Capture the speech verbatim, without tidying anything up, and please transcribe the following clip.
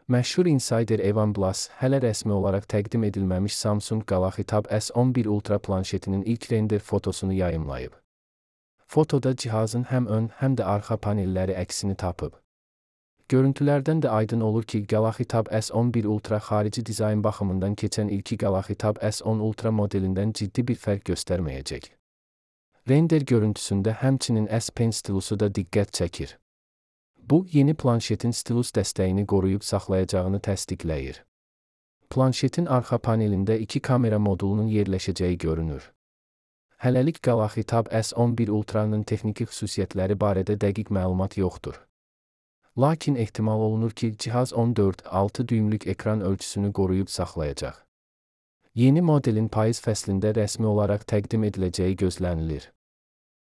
Məşhur insider Evan Blass hələ rəsmi olaraq təqdim edilməmiş Samsung Galaxy Tab S on bir Ultra planşetinin ilk render fotosunu yayımlayıb. Fotoda cihazın həm ön, həm də arxa panelləri əksini tapıb. Görüntülərdən də aydın olur ki, Galaxy Tab S on bir Ultra xarici dizayn baxımından keçən ilki Galaxy Tab S on Ultra modelindən ciddi bir fərq göstərməyəcək. Render görüntüsündə həmçinin S Pen stilusu da diqqət çəkir. Bu, yeni planşetin stilus dəstəyini qoruyub saxlayacağını təsdiqləyir. Planşetin arxa panelində iki kamera modulunun yerləşəcəyi görünür. Hələlik Galaxy Tab S on bir Ultra'nın texniki xüsusiyyətləri barədə dəqiq məlumat yoxdur. Lakin ehtimal olunur ki, cihaz on dörd altı düymlük ekran ölçüsünü qoruyub saxlayacaq. Yeni modelin payız fəslində rəsmi olaraq təqdim ediləcəyi gözlənilir.